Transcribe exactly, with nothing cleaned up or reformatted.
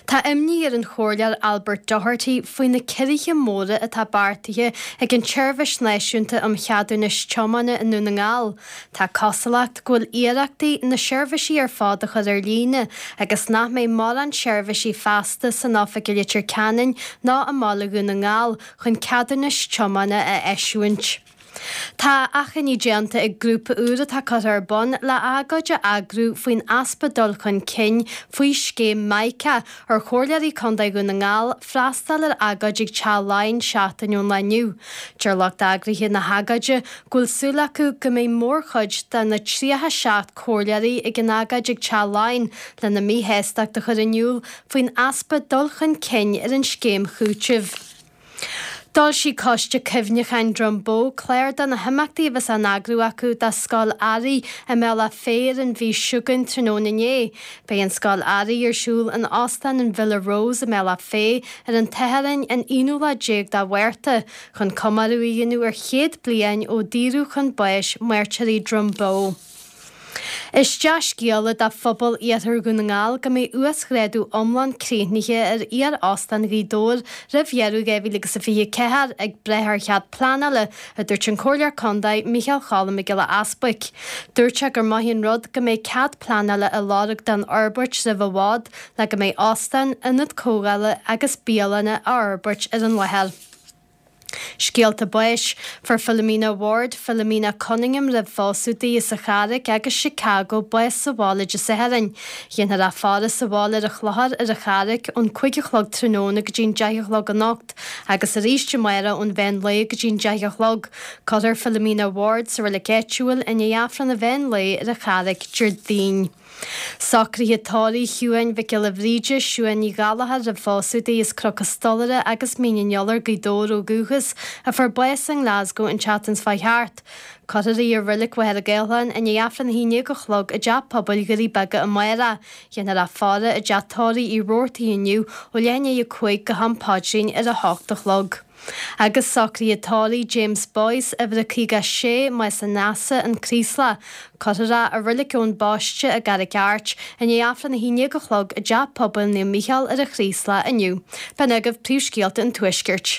Tá imní ar an Chomhairleoir Albert Doherty faoi na ciorruithe móra atá beartaithe ag an tSeirbhís Náisiúnta um Cheadúnais Tiomána i nDún na nGall. Tá cosúlacht go bhfuil iarrachtaí na seirbhísí ar fad a chur ar líne agus nach mbeidh mórán seirbhísí feasta san oifig i Leitir Ceanainn ná i mBaile Dhún na nGall chun ceadúnais tiomána a eisiúint. Tá achainí déanta ag grúpa úr atá curtha ar bun le agóid a eagrú faoin easpa dul chun cinn faoi scéim MICA ar Chomhairleoirí Contae Dhún na nGall freastal ar agóid ag Teach Laighean seachtain ón lá inniu. Deir lucht eagraithe na hagóide go bhfuil súil acu go mbeidh mórchuid de na tríocha seacht comhairleoirí ag an agóid ag Teach Laighean lena míshástacht a chur in iúl faoin easpa dul chun cinn ar an scéim chúitimh. D'fhoilsigh Coiste Cuimhneacháin Drumboe clár de na himeachtaí a bheas á n-eagrú acu do Scoil Earraigh i mBealach Féich ar an mhí seo chugainn tráthnóna inné. Beidh an Scoil Earraigh ar siúl in Óstán an Villa Rose i mBealach Féich ar an tSatharn an aonú lá déag de Mhárta chun comóradh a dhéanamh ar chéad bliain ó daoradh chun báis mairtírí Drumboe. Is dea-scéala do phobal Iarthar Dhún na nGall go mbeidh uasghrádú iomlán críochnaithe ar iar-óstán Ghaoth Dobhair roimh dheireadh dhá mhíle agus a fiche ceathair ag brath ar chead pleanála, a dúirt an Comhairleoir Contae Micheál Cholm Mac Giolla Easbuic. Dúirt sé gur maith an rud go mbeidh cead pleanála á lorg don fhorbairt roimh i bhfad le go mbeidh óstán, ionad comhdhála agus bialanna á fhorbairt ar an láthair. Scéalta báis, Fuair Philomena Ward, Philomena Cunningham roimh phósadh di as an Charraic agus Chicago bás sa bhaile Dé Sathairn. Dhéanfar a faire sa bhaile ar an Chlochar ar an Charraic ón cúig a chlog tráthnóna go dtí'n deich a chlog anocht agus arís amárach ón mheán lae go dtí'n deich a chlog. Cuirfear Philomena Ward sa reilig áitiúil i ndiaidh Aifreann an mheán lae ar an Charraic Déardaoin. Socruithe tórraimh Shiúin Mhic Giolla Bhríde, Siún Ní Ghallchóir roimh phósadh di as Cnoc an Stolaire agus Mín an Iolair, Gaoth Dobhair ó dhúchas, a fuair bás i nGlasgow an tseachtain seo chuaigh thart. Cuirfear í i Reilig Mhachaire Gathlán i ndiaidh Aifreann a haon déag a chlog i dTeach Pobail Dhoirí Beaga amárach. Dhéanfar a faire i dteach tórraimh Uí Robhartaigh inniu ó leath i ndiaidh a cúig go ham paidrín ar a hocht a chlog. Agus socruithe tórraimh James Boyce, uimhir a caoga a sé, Maos an Easa, An Craoslach. Cuirfear é i Reilig Eoin Baiste i gCarraig Airt i ndiaidh Aifreann a haon déag a chlog i dTeach Pobail Naomh Mícheál ar an Chraoslach inniu. B'in agaibh príomhscéalta an Tuaiscirt.